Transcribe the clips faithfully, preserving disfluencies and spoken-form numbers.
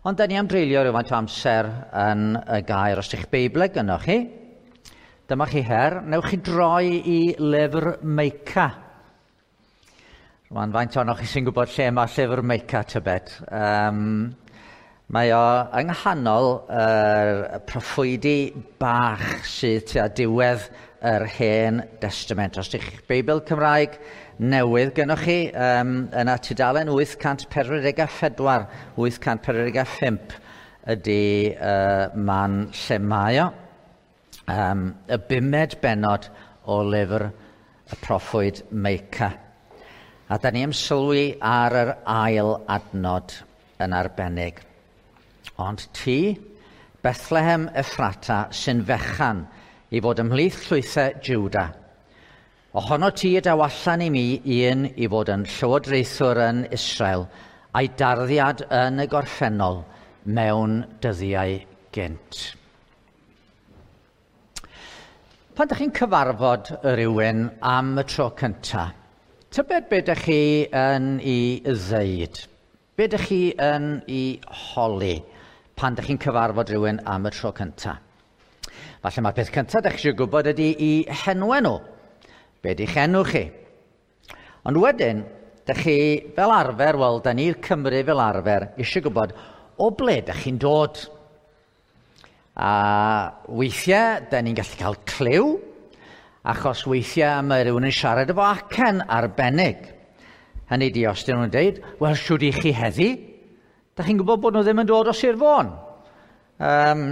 Ond da ni am dreulio rhywfaint o amser yn y gair. Os ydych Beibl gynnoch chi, dyma chi her, newch chi droi i lyfr Meica. Rwan, faint ohonoch chi sy'n gwybod lle mae llyfr Meica, tybed? Um, mae o yng nghanol yr proffwydi bach sydd tua diwedd yr Hen Destament. Os ydych Beibl Cymraeg newydd gynnoch chi, um, yna tudalen wyth cant pedwar deg a phedwar, wyth cant pedwar deg a phump ydy uh, man lle mae o. Um, y bumed bennod o lyfr y proffwyd Meica. A da ni am sylwi ar yr ail adnod yn arbennig. Ond ti, Bethlehem Ephrata, sy'n fechan i fod ymhlith llwythau Juda. Ohono ti y daw allan i mi un i fod yn llywodraethwr yn Israel, a'i darddiad yn y gorffennol mewn dyddiau gynt. Pan ydych chi'n cyfarfod rhywun am y tro cyntaf, tybed be ydych chi yn ei ddeud? Be ydych chi yn ei holi pan ydych chi'n cyfarfod rhywun am y tro cyntaf? Falle mae'r peth cyntaf ydych chi eisiau gwybod ydy i henwau nhw. Be ydych enw chi? Ond wedyn, ydych chi fel arfer, wel, da ni'r Cymru fel arfer, eisiau gwybod o ble ydych chi'n dod. A weithiau, da ni'n gallu cael clyw, achos weithiau mae rhywun yn siarad efo acen arbennig. Hynny di, os dyn nhw'n deud, wel, siwr i chi heddi? Da chi'n gwybod bod nhw ddim yn dod o Sir Fôn? Um,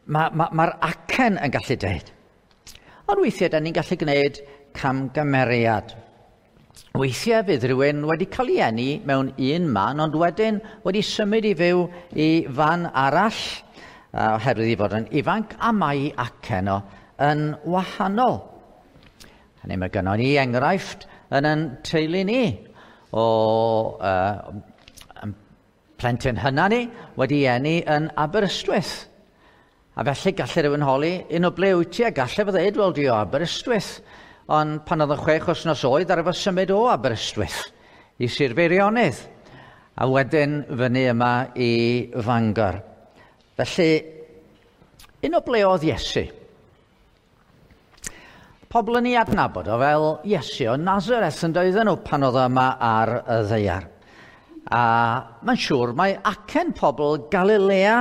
Mae'r ma, ma acen yn gallu deud. Ond weithiau, da ni'n gallu gwneud camgymeriad. Weithiau fydd rhywun wedi cael ei eni mewn un man, ond wedyn wedi symud i fyw i fan arall, oherwydd i fod yn ifanc, a mae acen o yn wahanol. Hynny, mae gynnon ni enghraifft yn yn teulu ni o uh, plentyn hynna ni wedi eni yn Aberystwyth. A felly gallai rhywun holi, un o ble wyt ti? A gallai fo ddeud, wel, dwi o Aberystwyth. Ond pan oedd yn chwech wythnos oed, ar efo symud o Aberystwyth i Sir Feirionnydd. A wedyn fyny yma i Fangor. Felly, un o ble oedd Iesu? Pobl yn ei adnabod o fel Iesu o Nazareth yn doedden nhw pan oedd yma ar y ddaear. A mae'n siŵr mae acen pobl Galilea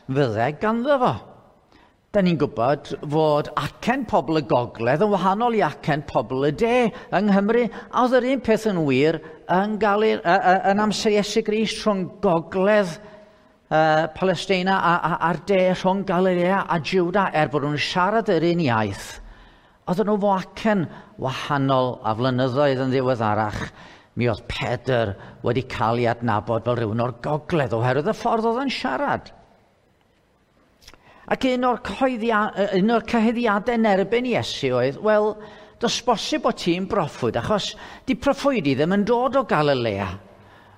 fydde ganddo fo. Da ni'n gwybod fod acen pobl y gogledd yn wahanol i acen pobl y de yng Nghymru, a oedd yr un peth yn wir yn, Galil, yn amser Iesu Grist rhwng gogledd uh, Palestina a, a, a'r de rhwng Galilea a Juda, er bod nhw'n siarad yr un iaith. Oedden nhw fo acen wahanol a flynyddoedd yn ddiweddarach, mi oedd Pedr wedi cael ei adnabod fel rhywun o'r gogledd oherwydd y ffordd oedd yn siarad. Ac un o'r, un o'r cyhuddiadau yn erbyn Iesu oedd, wel, does bosib bod ti'n broffwyd, achos di proffwydi ddim yn dod o Galilea.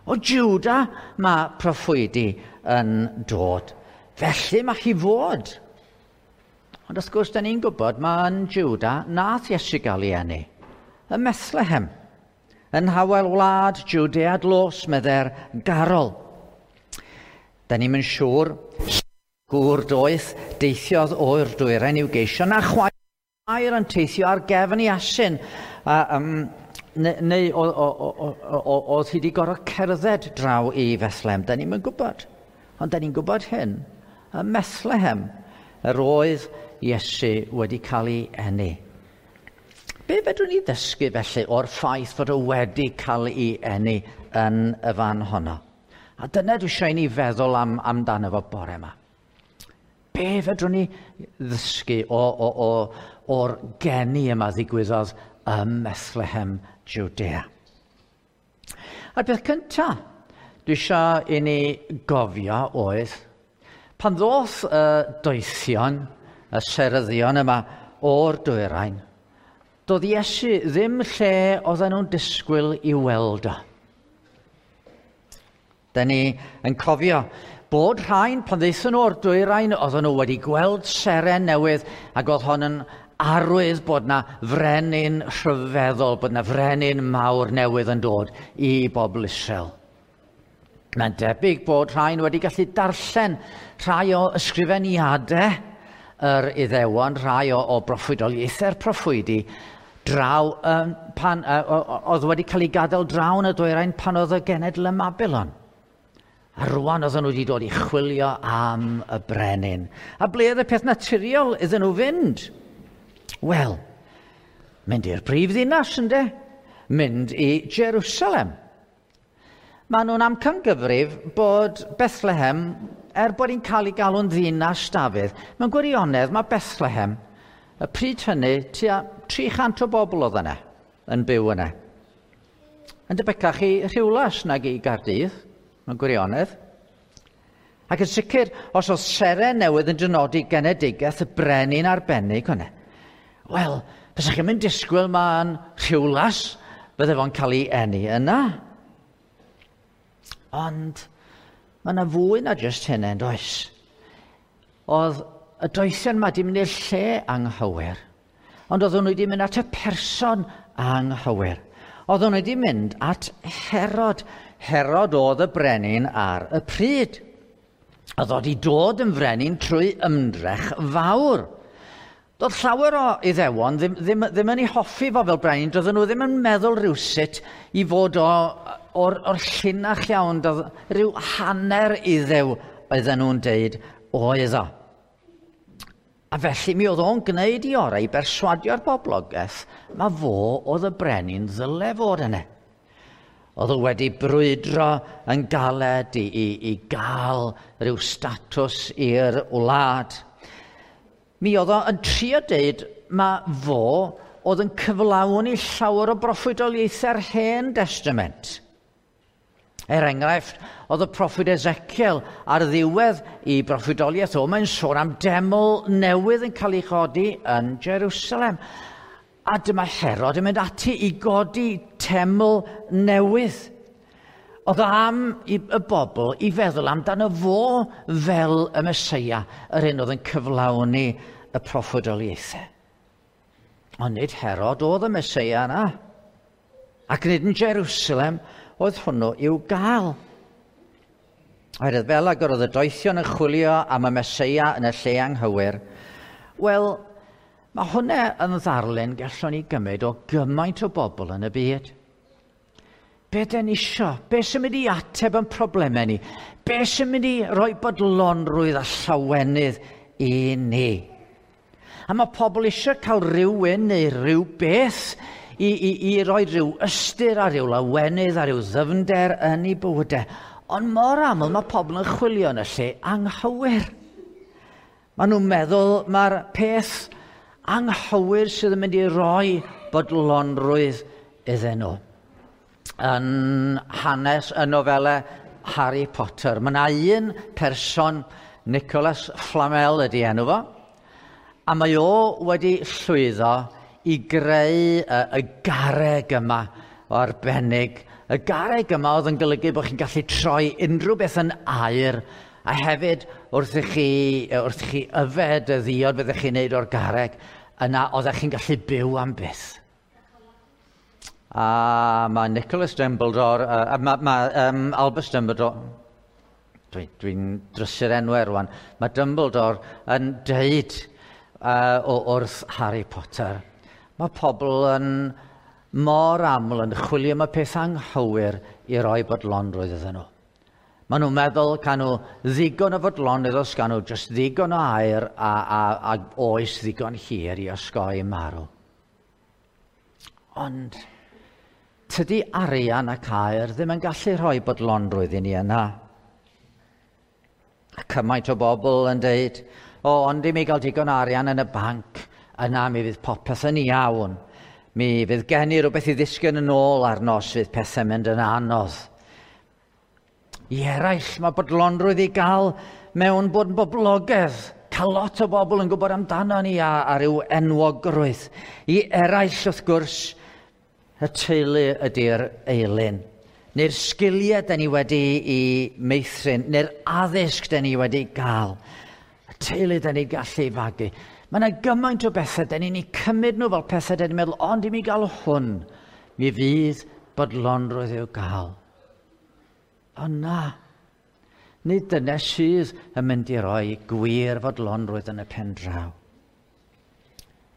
O Juda mae proffwydi yn dod. Felly mae chi fod. Ond wrth gwrs, da ni'n gwybod mae yn Juda nath Iesu gael ei eni. Ym Methlehem, yn hawel wlad Judea dlos, medde'r garol. Da ni'n mynd siŵr gŵr doeth deithiodd o'r dwyrain i'w geisio, na chwaer yn teithio ar gefn i asyn. A, um, neu neu oedd hi wedi gorfod cerdded draw i Bethlehem. Da ni'n gwybod. Ond da ni'n gwybod hyn. Ym Methlehem, yr oedd Iesu wedi cael ei eni. Be fedrwn ni ddysgu felly o'r ffaith fod o wedi cael ei eni yn y fan honno? A dyna dwi eisiau i ni feddwl am, amdano fo bore yma. Be fedrwn ni ddysgu o, o, o, o'r geni yma ddigwyddodd ym Methlehem, Judea? A'r peth cyntaf dwi eisiau i ni gofio oedd, pan ddoth y doethion, y seryddion yma o'r dwyrain, doedd Iesu ddim lle oedden nhw'n disgwyl i weld o. Da ni yn cofio bod rhain, pan ddaethon nhw o'r dwyrain, oedden nhw wedi gweld seren newydd, ac oedd hon yn arwydd bod na frenin rhyfeddol, bod na frenin mawr newydd yn dod i bobl Israel. Mae'n debyg bod rhain wedi gallu darllen rhai o ysgrifeniadau yr Iddewon, rhai o, o broffwydoliaethau'r proffwydi, draw um, pan, uh, oedd wedi cael ei gadael draw yn y dwyrain pan oedd y genedl ym Mabilon. A rwan oedden nhw wedi dod i chwilio am y brenin. A ble oedd y peth naturiol iddyn nhw fynd? Wel, mynd i'r brif ddinas, ynde? Mynd i Jerusalem. Maen nhw'n amcangyfrif bod Bethlehem, er bod hi'n cael ei galw'n ddinas Dafydd, mewn gwirionedd mae Bethlehem, y pryd hynny, tua tri chant o bobl oedd yna, yn byw yna. Yn debycach i Rhiwlas nag i Gaerdydd, mewn gwirionedd. Ac yn sicr, os oedd seren newydd yn dynodi genedigaeth y brenin arbennig hwnna, wel, bysach chi'n mynd disgwyl ma'n Rhiwlas, bydde fo'n cael ei eni yna. Ond mae yna fwy na jyst hynny, yn does? Oedd y doethion yma wedi mynd i'r lle anghywir, ond oedden nhw wedi mynd at y person anghywir. Oedden nhw wedi mynd at Herod. Herod oedd y brenin ar y pryd. Oedd wedi dod yn frenin trwy ymdrech fawr. Doedd llawer o Iddewon ddim, ddim, ddim yn ei hoffi fo fel brenin. Doedden nhw ddim yn meddwl rhywsut i fod o, o'r, o'r llinach iawn. Doedd rhyw hanner Iddew oedden nhw'n deud oedd o. A felly mi oedd o'n gwneud i orau i berswadio'r boblogaeth ma fo oedd y brenin ddyle fod yna. Oedd o wedi brwydro yn galed i, i, i gael rhyw statws i'r wlad. Mi oedd o yn trio deud ma fo oedd yn cyflawni llawer o broffwydoliaethau'r Hen Testament. Er enghraifft, oedd y proffwyd Ezekiel ar ddiwedd i broffwydoliaeth o, mae'n sôn am deml newydd yn cael ei chodi yn Jerusalem. A dyma Herod yn mynd ati i godi teml newydd. Oedd am i y bobl i feddwl amdano fo fel y Meseia, yr un oedd yn cyflawni y proffwydoliaethau. Ond nid Herod oedd y Meseia yna. Ac nid yn Jerusalem oedd hwnnw i'w gael. Oherwydd fel ag oedd y doethion yn chwilio am y Meseia yn y lle anghywir, wel, mae hwnna yn ddarlun gallwn ni gymryd o gymaint o bobl yn y byd. Be dyn ni isio? Be sy'n mynd i ateb yn problemau ni? Be sy'n mynd i roi bodlonrwydd a llawenydd i ni? A mae pobl eisiau cael rhywun neu rhyw beth i, i, i roi rhyw ystyr a rhyw lawenydd a rhyw ddyfnder yn eu bywydau. Ond mor aml mae pobl yn chwilio yn y lle anghywir. Maen nhw'n meddwl mae'r peth anghywir sydd yn mynd i roi bodlonrwydd iddyn nhw. Yn hanes y nofelau Harry Potter, mae yna un person, Nicholas Flamel ydy enw fo, a mae o wedi llwyddo i greu y, y garreg yma o arbennig. Y garreg yma oedd yn golygu bod chi'n gallu troi unrhyw beth yn aur, a hefyd wrth i chi, wrth i chi yfed y ddiod fyddech chi'n neud o'r garreg, yna oeddech chi'n gallu byw am byth. A mae Nicholas Dumbledore, uh, mae ma, um, Albus Dumbledore, dwi'n dwi drysu'r enwau rwan, mae Dumbledore yn deud uh, o, wrth Harry Potter, mae pobl yn mor aml yn chwilio am y peth anghywir i roi bodlonrwydd iddyn nhw. Maen nhw'n meddwl can nhw ddigon o fodlonrwydd os gan nhw jyst ddigon o aer a, a, a oes ddigon hir i osgoi marw. Ond tydi arian ac aer ddim yn gallu rhoi bodlonrwydd i ni yna. A cymaint o bobl yn deud, o, ond i mi gael digon o arian yn y banc, yna mi fydd popeth yn iawn. Mi fydd gen i rhywbeth i ddisgyn yn ôl ar nos fydd pethau'n mynd yn anodd. I eraill, mae bodlonrwydd i gael mewn bod yn boblogaidd. Cael lot o bobl yn gwybod amdano ni a, a ryw enwogrwydd. I eraill, wrth gwrs, y teulu ydy'r eilun. Neu'r sgiliau dyn ni wedi i meithrin, neu'r addysg dyn ni wedi gael. Y teulu dyn ni gallu fagu. Mae yna gymaint o bethau dyn ni'n eu cymryd nhw fel pethau dyn ni'n meddwl, ond i mi gael hwn, mi fydd bodlonrwydd i'w gael. Ond na, Nid dyna sydd yn mynd i roi gwir fodlonrwydd yn y pen draw.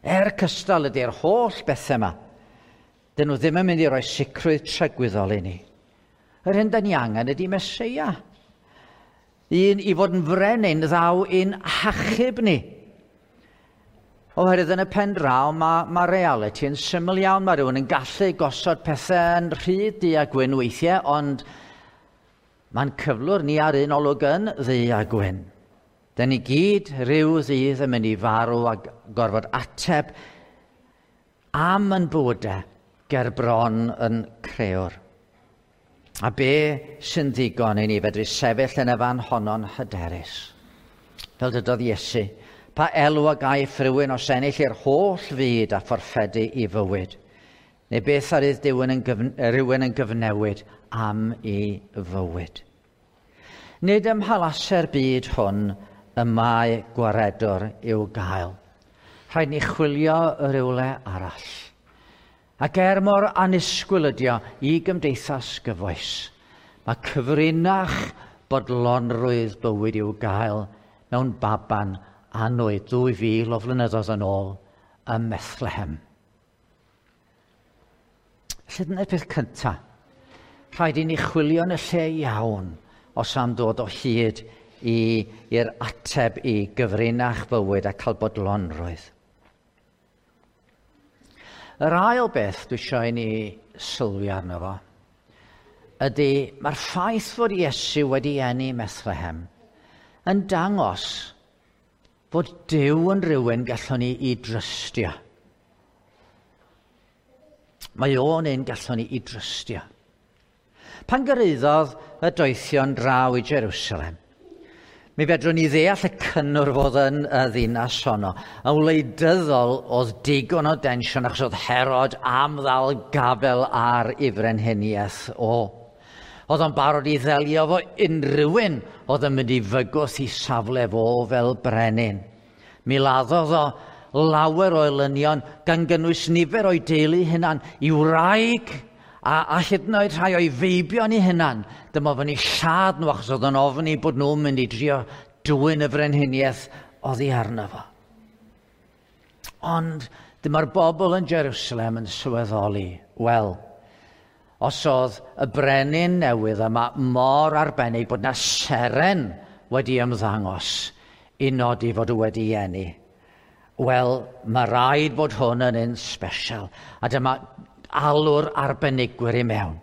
Er cystal ydy'r holl bethau yma, dyn nhw ddim yn mynd i roi sicrwydd tragwyddol i ni. Yr hyn da ni angen ydy Meseia. Un i fod yn frenin ddaw i'n hachub ni. Oherwydd yn y pen draw mae, mae reality yn syml iawn. Mae rhywun yn gallu gosod pethau yn rhy du a gwyn weithiau, ond mae'n cyflwr ni ar un olwg yn ddu a gwyn. Dyn ni gyd rhyw ddydd yn mynd i farw a gorfod ateb am yn bywydau ger bron yn crëwr. A be sy'n ddigon i ni fedru sefyll yn y fan honno'n hyderus? Fel dydodd Iesu, pa elw a gaiff rhywun os ennill i'r holl fyd a fforffedu i fywyd? Neu beth ar ydd yn gyfn rhywun yn gyfnewid am ei fywyd? Nid ym mhalase'r byd hwn y mae gwaredwr i'w gael. Rhaid ni chwilio rywle arall. Ac er mor annisgwyl ydi o i gymdeithas gyfoes, mae cyfrinach bodlonrwydd bywyd i'w gael mewn baban annwyd ddwy fil o flynyddoedd yn ôl ym Methlehem. Felly dyna'r peth cyntaf. Rhaid i ni chwilio yn y lle iawn os am ddod o hyd i'r ateb i gyfrinach bywyd a cael bodlonrwydd. Yr ail beth dwi eisiau i ni sylwi arno fo ydy mae'r ffaith fod Iesu wedi eni Methlehem yn dangos fod Duw yn rhywun gallwn ni i drystio. Mae o'n un gallwn ni i drystio. Pan gyrhaeddodd y doethion draw i Jerusalem, mi fedrwn ni ddeall y cynnwrf oedd yn y ddinas honno. Yn wleidyddol oedd digon o densiwn achos oedd Herod am ddal gafel ar ei frenhiniaeth o. Oedd o'n barod i ddelio fo unrhyw un oedd yn mynd i fygwth i safle fo fel brenin. Mi laddodd o lawer o elynion gan gynnwys nifer o'i deulu hunan, i wraig a, a hyd yn oed rhai o'i feibion i hunan. Dyma ofyn i lladd nhw achos oedd o'n ofni bod nhw'n mynd i drio dwyn y frenhiniaeth oddi arno fo. Ond dyma'r bobl yn Jerusalem yn sylweddoli, wel, os oedd y brenin newydd yma mor arbennig bod na seren wedi ymddangos i nodi fod o wedi eni, wel, mae rhaid bod hwn yn un special. A dyma alw'r arbenigwyr i mewn.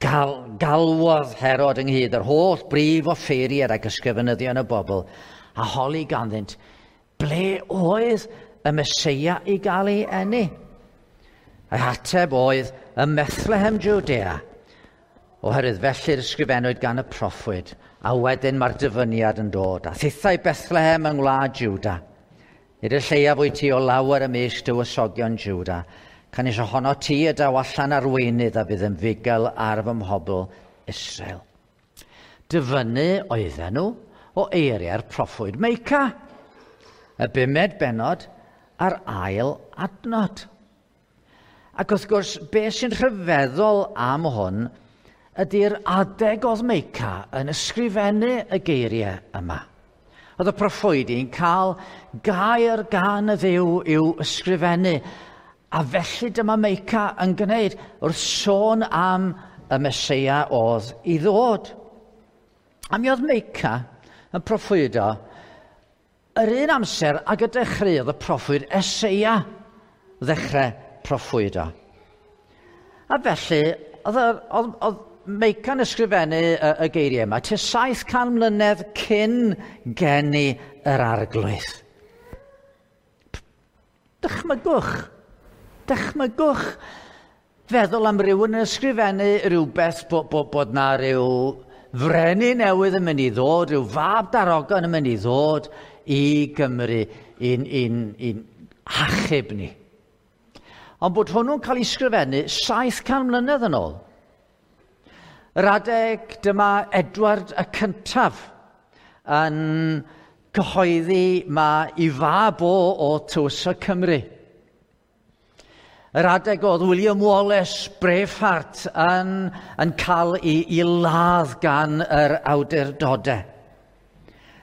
Gal, galwodd Herod ynghyd yr holl brif offeiriaid ac ysgrifenyddion y bobl a holi ganddynt ble oedd y Meseia i gael ei eni. Ei ateb oedd ym Methlehem Judea, oherwydd felly'r ysgrifennwyd gan y proffwyd, a wedyn mae'r dyfyniad yn dod. A thithau Bethlehem yng ngwlad Juda, nid y lleiaf wyt ti o lawer ymysg dywysogion Juda, canys ohono ti y daw allan arweinydd a fydd yn fugail ar fy mhobl Israel. Dyfynnu oedden nhw o eiriau'r proffwyd Meica, y bumed bennod a'r ail adnod. Ac wrth gwrs, beth sy'n rhyfeddol am hwn ydy'r adeg oedd Meica yn ysgrifennu y geiriau yma. Oedd y proffwydi'n cael gair gan y Dduw i'w ysgrifennu, a felly dyma Meica yn gwneud wrth sôn am y Meseia oedd i ddod. A mi oedd Meica yn proffwydo yr un amser ag y dechreuodd y proffwyd Eseia ddechrau proffwydo. A felly, oedd, oedd, oedd Meica'n ysgrifennu y, y geiriau yma tua saith can mlynedd cyn geni yr Arglwydd. Dychmygwch, dychmygwch feddwl am rywun yn ysgrifennu rhywbeth bod, bod, bod na ryw frenin newydd yn mynd i ddod, rhyw fab darogan yn mynd i ddod i Gymru i'n, i'n, i'n hachub ni. Ond bod hwnnw'n cael ei ysgrifennu saith can mlynedd yn ôl. Yr adeg dyma Edward y Cyntaf yn cyhoeddi ma i fab o o Tywysog Cymru. Yr adeg oedd William Wallace, Braveheart, yn, yn cael ei, ei ladd gan yr awdurdodau.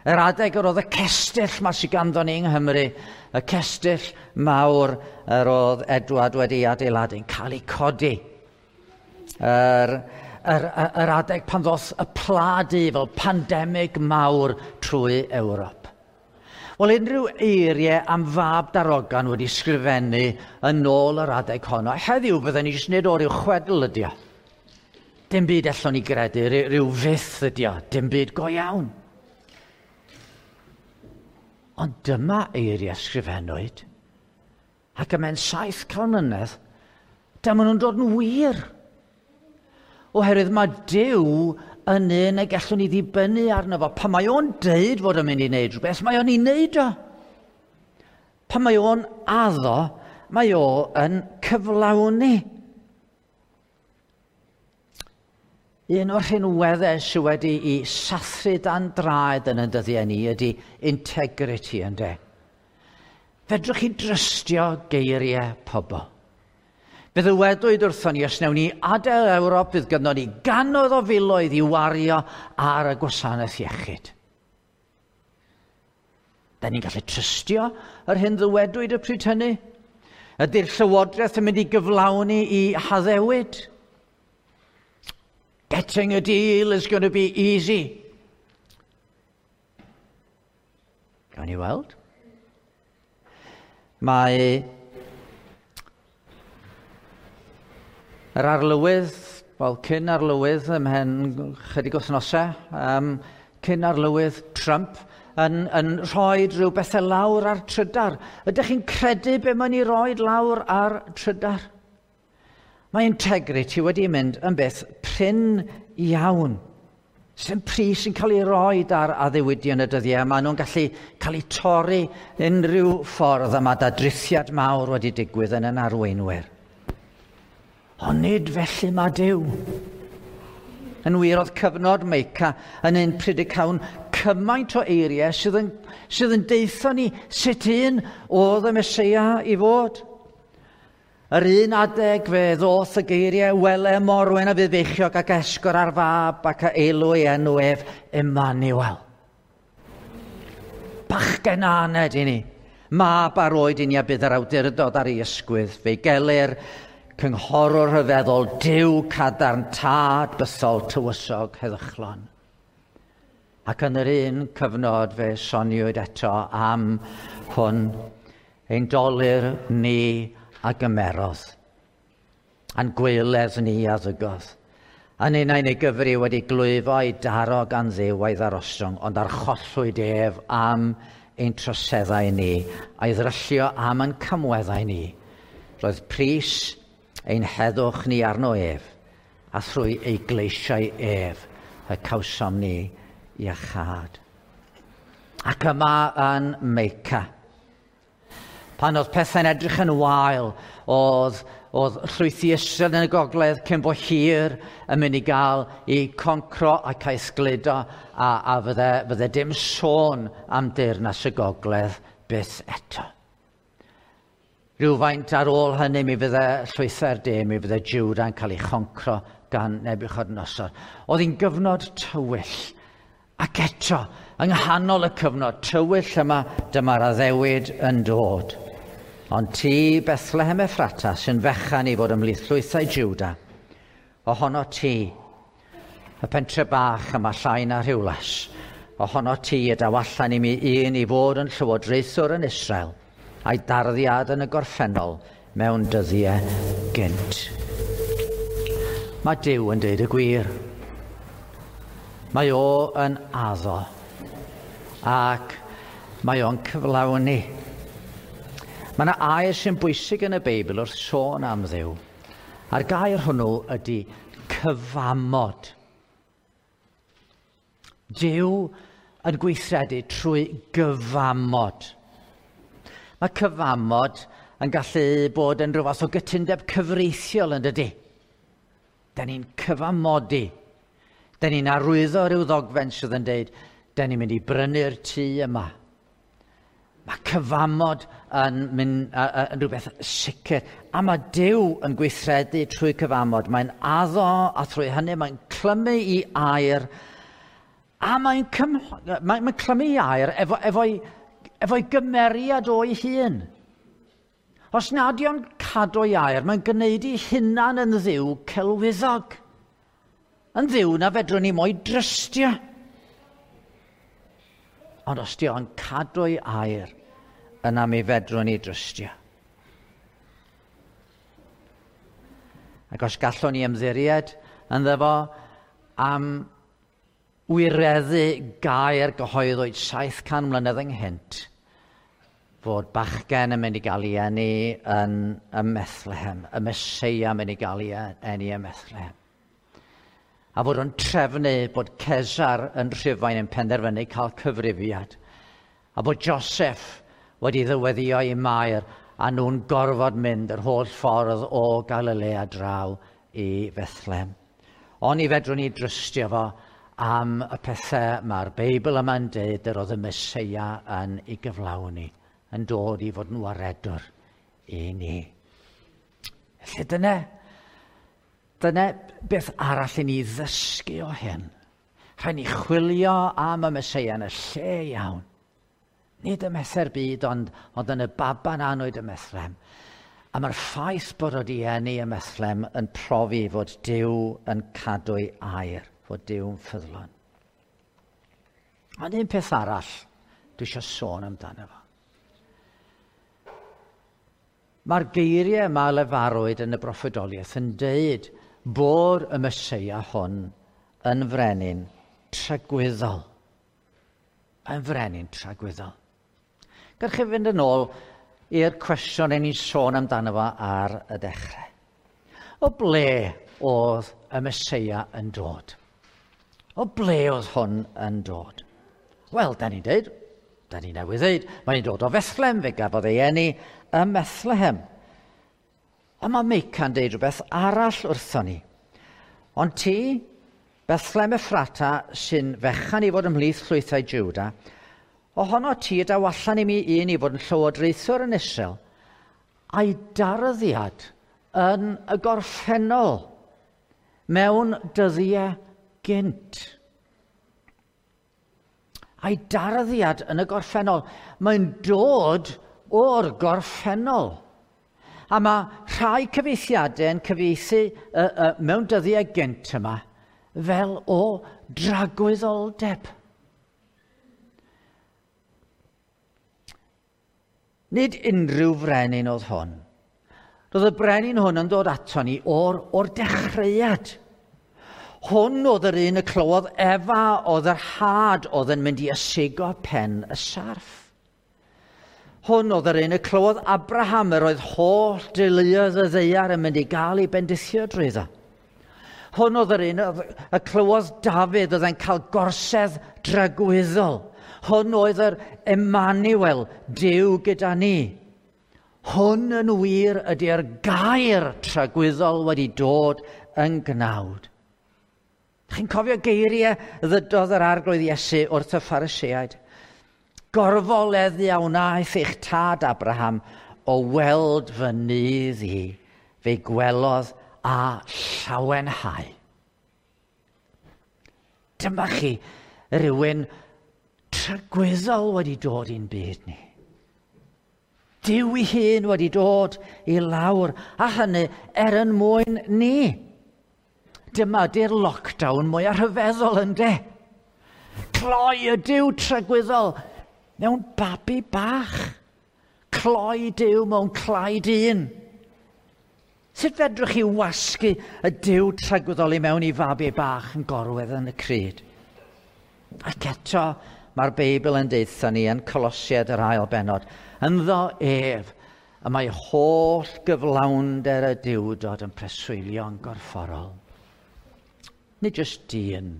Yr adeg yr oedd y cestyll ma sydd ganddo ni yng Nghymru, y cestyll mawr yr oedd Edward wedi adeiladu, yn cael ei codi. Yr, yr, yr adeg pan ddoth y pla du fel pandemig mawr trwy Ewrop. Wel, unrhyw eiriau am fab darogan wedi sgrifennu yn ôl yr adeg honno. Heddiw fydden ni jyst nid o ryw chwedl ydi o. Dim byd allwn ni gredu, rhyw fyth ydi o, dim byd go iawn. Ond dyma eiriau sgrifennwyd, ac ymhen saith can mlynedd, dyma nhw'n dod yn wir. Oherwydd mae Duw yn un y gallwn ni ddibynnu arno fo. Pan mae o'n deud fod o'n mynd i wneud rhywbeth, mae o'n ei wneud o. Pan mae o'n addo, mae o yn cyflawni. Un o'r rhinweddau sydd wedi i sathru dan draed yn y dyddiau ni ydy integrity, ynde. Fedrwch chi drystio geiriau pobl. Fe ddywedwyd wrthon ni, os wnawn ni adael Ewrop, fydd gynnon ni gannoedd o filoedd i wario ar y gwasanaeth iechyd. Da ni'n gallu trystio yr hyn ddywedwyd y pryd hynny? Ydy'r llywodraeth yn mynd i gyflawni i haddewid? Getting a deal is going to be easy. Gawn ni weld? Mae yr arlywydd, wel, cyn arlywydd ymhen chydig wythnosau, um, cyn arlywydd Trump, yn, yn rhoi rhyw bethau lawr ar trydar. Ydych chi'n credu be mae'n ei roi lawr ar trydar? Mae integrity wedi mynd yn beth prin iawn. Sy'n pris yn cael ei roi ar addewidion y dyddiau. Maen nhw'n gallu cael eu torri unrhyw ffordd a mae dadrithiad mawr wedi digwydd yn yn arweinwyr. Ond nid felly mae Duw. Yn wir, oedd cyfnod Meica yn un pryd y cawn cymaint o eiriau sydd yn, sydd yn deitho ni sut un oedd y Meseia i fod. Yr un adeg fe ddoth y geiriau, wele morwen a fydd feichiog ac esgor ar fab ac a eilw ei enw ef Emmanuel. Bachgen aned i ni. Mab ar oed i ni a bydd yr awdurdod ar ei ysgwydd. Fe'i gelir cynghorwr rhyfeddol, Duw cadarn, tad bythol, tywysog, heddychlon. Ac yn yr un cyfnod fe soniwyd eto am hwn, ein dolur ni a gymerodd, a'n gwaeledd ni a ddygodd. A'n unau'n ei gyfri wedi glwyfo ei daro gan Dduw a'i ddarostwng, ond archollwyd ef am ein troseddau ni, a'i ddryllio am ein camweddau ni. Roedd pris ein heddwch ni arno ef, a thrwy ei gleisiau ef y cawsom ni iachâd. Ac yma yn Meica, pan oedd pethau'n edrych yn wael, oedd, oedd llwythi Israel yn y gogledd cyn bo hir yn mynd i gael i concro ac a'i sgludo, a, a fydde, fydde dim sôn am deyrnas y gogledd byth eto. Rhywfaint ar ôl hynny mi fydde llwythau'r de, mi fydde Jwda'n cael ei choncro gan Nebiwchodynosor. Oedd hi'n gyfnod tywyll. Ac eto, yng nghanol y cyfnod tywyll yma, dyma'r addewid yn dod. Ond ti, Bethlehem Ephrata, sy'n fechan i fod ymhlith llwythau Jwda, ohono ti, y pentre bach yma llai na Rhiwlas, ohono ti y daw allan i mi un i fod yn llywodraethwr yn Israel, a'i darddiad yn y gorffennol mewn dyddiau gynt. Mae Duw yn deud y gwir. Mae o yn addo ac mae o'n cyflawni. Mae yna air sy'n bwysig yn y Beibl wrth sôn am Dduw. A'r gair hwnnw ydy cyfamod. Duw yn gweithredu trwy gyfamod. Mae cyfamod yn gallu bod yn rhyw fath o gytundeb cyfreithiol, yn dydy. Da ni'n cyfamodi. Da ni'n arwyddo rhyw ddogfen sydd yn deud, da ni'n mynd i brynu'r tŷ yma. Mae cyfamod yn, mynd, uh, yn rhywbeth sicr. A mae Duw yn gweithredu trwy cyfamod. Mae'n addo a thrwy hynny mae'n clymu i air. A mae'n mae, mae clymu i air efo, efo'i, efo'i gymeriad o'i hun. Os nad yw'n cadw ei air, mae'n gwneud ei hunan yn ddiw celwyddog. Yn ddiw na fedrwn ni mo'i drystio. Ond os di o'n cadw ei air, yna mi fedrwn ni drystio. Ac os gallwn ni ymddiried ynddo fo am wireddu gair gyhoeddwyd saith can mlynedd ynghynt, fod bachgen yn mynd i gael ei eni yn ym Methlehem, y Meseia yn mynd i gael ei eni ym Methlehem. A fod o'n trefnu bod Cesar yn Rhufain yn penderfynu cael cyfrifiad. A bod Joseph wedi ddyweddio i Mair a nhw'n gorfod mynd yr holl ffordd o Galilea draw i Bethlehem. Ond i fedrwn ni drystio fo am y pethau mae'r Beibl yma'n deud yr oedd y Meseia yn ei gyflawni, yn dod i fod yn waredwr i ni. Felly dyna, dyna beth arall i ni ddysgu o hyn. Rhaid ni chwilio am y Meseia yn y lle iawn. Nid ym Mhethe'r byd, ond, ond yn y baban anwyd ym Methlehem. A mae'r ffaith bod wedi eni ym Methlehem yn profi fod Duw yn cadw'i air, fod Duw'n ffyddlon. Ond un peth arall dwi eisiau sôn amdano fo. Mae'r geiriau yma lefarwyd yn y broffwydoliaeth yn deud bod y Meseia hwn yn frenin tragwyddol. Yn frenin tragwyddol. Gewch chi fynd yn ôl i'r cwestiwn ein ni'n sôn amdano fo ar y dechrau. O ble oedd y Meseia yn dod? O ble oedd hwn yn dod? Wel, da ni'n deud, da ni newydd ddeud, mae'n dod o Fethlehem, fe gafodd ei eni ym Methlehem. Ond mae Meica'n deud rhywbeth arall wrthon ni. Ond ti, Bethlehem Ephrata, sy'n fechan i fod ymhlith llwythau Juda, ohono ti daw allan i mi un i fod yn llywodraethwr yn Israel, a'i darddiad yn y gorffennol mewn dyddiau gynt. A'i darddiad yn y gorffennol, mae'n dod o'r gorffennol. A mae rhai cyfieithiadau yn cyfieithu uh, uh, mewn dyddiau gynt yma fel o dragwyddoldeb. Nid unrhyw frenin oedd hwn. Roedd y brenin hwn yn dod ato ni o'r, o'r dechreuad. Hwn oedd yr un y clywodd Efa oedd yr had oedd yn mynd i ysigo pen y sarff. Hwn oedd yr un y clywodd Abraham yr oedd holl deuluoedd y ddaear yn mynd i gael ei bendithio drwyddo. Hwn oedd yr un y clywodd Dafydd oedd yn cael gorsedd dragwyddol. Hwn oedd yr Emmanuel, Duw gyda ni. Hwn yn wir ydy'r gair tragwyddol wedi dod yn gnawd. Chi'n cofio geiriau ddydodd yr Arglwydd Iesu wrth y Phariseaid? Gorfoleddu a wnaeth eich tad Abraham o weld fy nydd i, fe'i gwelodd a llawenhau. Dyma chi rhywun tragwyddol wedi dod i'n byd ni. Duw ei hun wedi dod i lawr, a hynny er yn mwyn ni. Dyma di'r lockdown mwyaf rhyfeddol ynde. Cloi y Duw tragwyddol mewn babi bach. Cloi Duw mewn clai dyn. Sut fedrwch chi wasgu y Duw tragwyddol i mewn i fabi bach yn gorwedd yn y crud? Ac eto, mae'r Beibl yn deutha ni yn Colosiaid yr ail bennod. Ynddo ef, y mae holl gyflawnder y Duwdod yn preswylio'n gorfforol. Nid jyst dyn,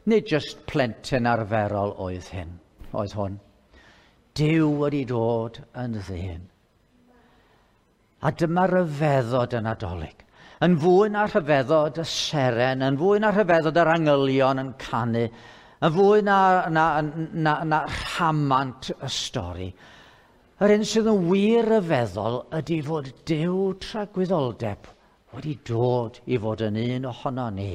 nid jyst plentyn arferol oedd hyn, oedd hwn. Duw wedi dod yn ddyn. A dyma ryfeddod y Nadolig. Yn fwy na rhyfeddod y seren, yn fwy na rhyfeddod yr angylion yn canu, yn fwy na, na, na, na rhamant y stori. Yr un sydd yn wir ryfeddol ydy fod Duw tragwyddoldeb wedi dod i fod yn un ohono ni.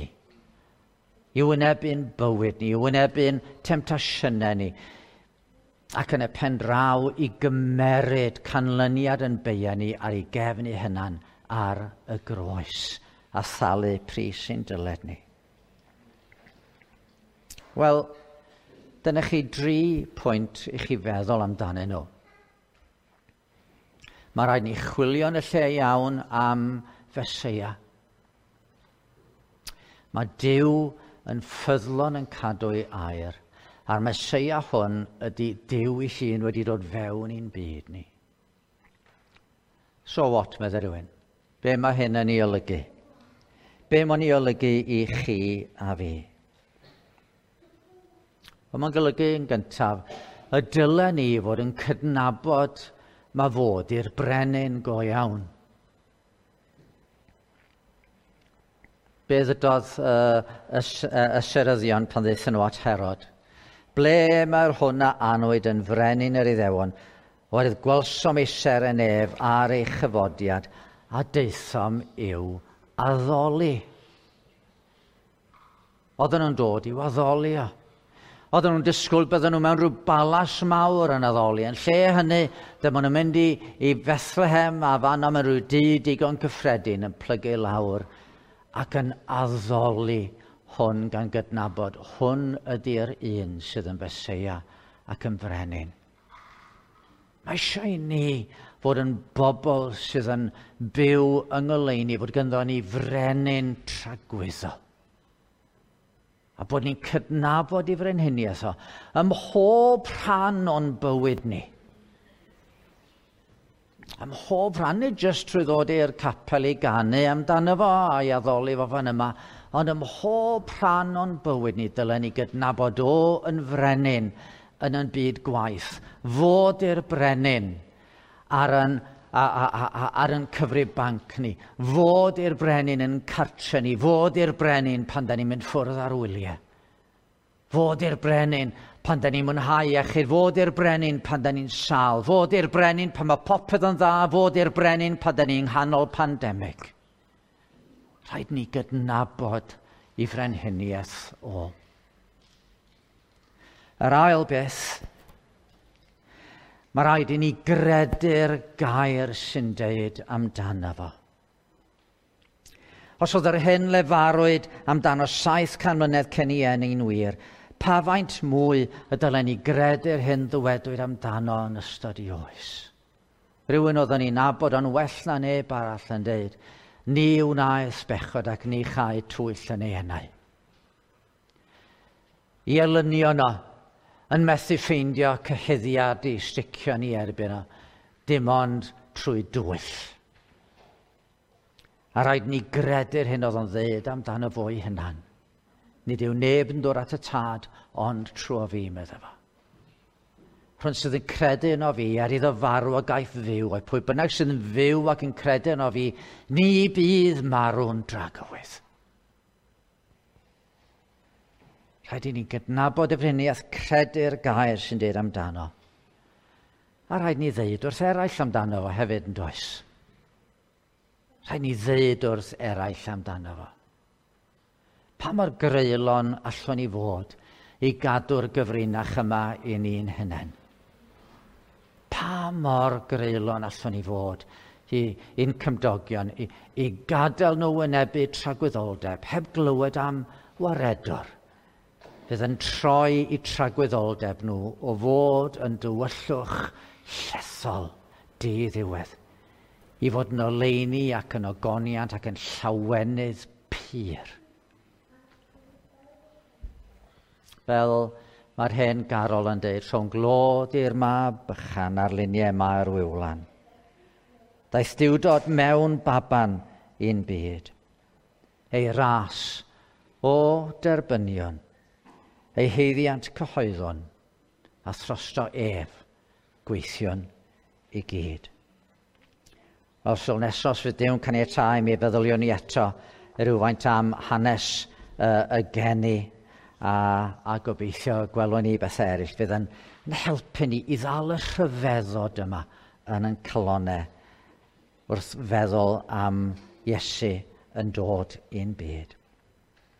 I wynebu'n bywyd ni, i wynebu'n temtasiynau ni, ac yn y pen draw i gymeryd canlyniad yn beia ni ar ei gefn ei hunan ar y groes a thalu pris sy'n dyled ni. Wel, dyna chi dri pwynt i chi feddwl amdanyn nhw. Mae rhaid ni chwilio yn y lle iawn am Feseia. Mae Duw yn ffyddlon yn cadw ei air, a'r Meseia hwn ydy Duw ei hun wedi dod fewn i'n byd ni. So what, meddai rhywun? Be mae hyn yn ei olygu? Be mae'n ei olygu i chi a fi? Wel, mae'n golygu yn gyntaf y dylen ni fod yn cydnabod mae fod i'r brenin go iawn. Be ddydodd uh, y, y, y seryddion pan ddaethon nhw at Herod? Ble mae'r hwn a anwyd yn frenin yr Iddewon, oherwydd gwelsom ei seren ef ar ei chyfodiad, a daethom i'w addoli. Oedden nhw'n dod i'w addoli o. Oedden nhw'n disgwyl bydden nhw mewn rhyw balas mawr yn addoli. Yn lle hynny, dyma nhw'n mynd i, i Bethlehem a fan am rhyw dŷ digon cyffredin yn plygu lawr ac yn addoli hwn gan gydnabod. Hwn ydy'r un sydd yn Feseia ac yn frenin. Mae eisiau i ni fod yn bobl sydd yn byw yng ngoleuni, fod ganddo ni frenin tragwyddol. A bod ni'n cydnabod i frenhiniaeth o ym mhob rhan o'n bywyd ni. Ym mhob rhan, nid jyst trwy ddod i'r capel i ganu amdano fo a'i addoli fo fan yma, ond ym mhob rhan o'n bywyd ni dylen ni gydnabod o yn frenin yn yn byd gwaith, fod i'r brenin ar yn, a, a, a, ar yn cyfrif banc ni, fod i'r brenin yn cartre ni, fod i'r brenin pan da ni'n mynd ffwrdd ar wyliau, fod i'r brenin pan da ni'n mwynhau iechyd, fod i'r brenin pan da ni'n sâl, fod i'r brenin pan mae popeth yn dda, fod i'r brenin pan da ni'n nghanol pandemig. Rhaid ni gydnabod i frenhiniaeth o. Yr ail beth, mae rhaid i ni gredu'r gair sy'n deud amdano fo. Os oedd yr hyn lefarwyd amdano saith can mlynedd cyn ei eni'n wir, pa faint mwy y dylen ni gredu'r hyn ddywedwyd amdano yn ystod ei oes? Rhywun oeddwn ni'n nabod o'n well na neb arall yn deud, ni wnaeth bechod ac ni chai twyll yn ei enau. I elynion o, yn methu ffeindio cyhuddiad i sticio ni erbyn o, dim ond trwy dwyll. A rhaid ni gredu'r hyn oedd o'n ddeud amdano fo'i hunan. Nid yw neb yn dod at y tad, ond trwy fi, meddai fo. Rhwng sydd yn credu yno fi, er iddo farw a gaiff fyw, a pwy bynnag sydd yn fyw ac yn credu yno fi, ni bydd marw'n dragywydd. Rhaid i ni gydnabod y frenhiniaeth, credu'r gair sy'n deud amdano. A rhaid ni ddeud wrth eraill amdano fo hefyd yn does. Rhaid ni ddeud wrth eraill amdano fo. Pa mor greulon allwn ni fod i gadw'r gyfrinach yma i ni'n hunain? Pa mor greulon allwn ni fod i i'n cymdogion, i, i gadael nhw wynebu tragwyddoldeb, heb glywed am waredwr, fydd yn troi i tragwyddoldeb nhw o fod yn dywyllwch llethol diddiwedd, i fod yn oleuni ac yn ogoniant ac yn llawenydd pur. Fel mae'r hen garol yn deud, rhwng glod i'r mab bychan ar luniau mae'r wywlan. Daeth Duwdod mewn baban i'n byd. Ei ras o derbynion, ei haeddiant cyhoeddon, a throsto ef gweithion i gyd. Wel, sul nesaf, os fydd Duw'n caniatáu, mi feddyliwn ni eto rhywfaint am hanes uh, y geni a, a gobeithio gwelwn ni bethau eraill fydd yn, Yn helpu ni i ddal y rhyfeddod yma yn ein calonnau wrth feddwl am Iesu yn dod i'n byd.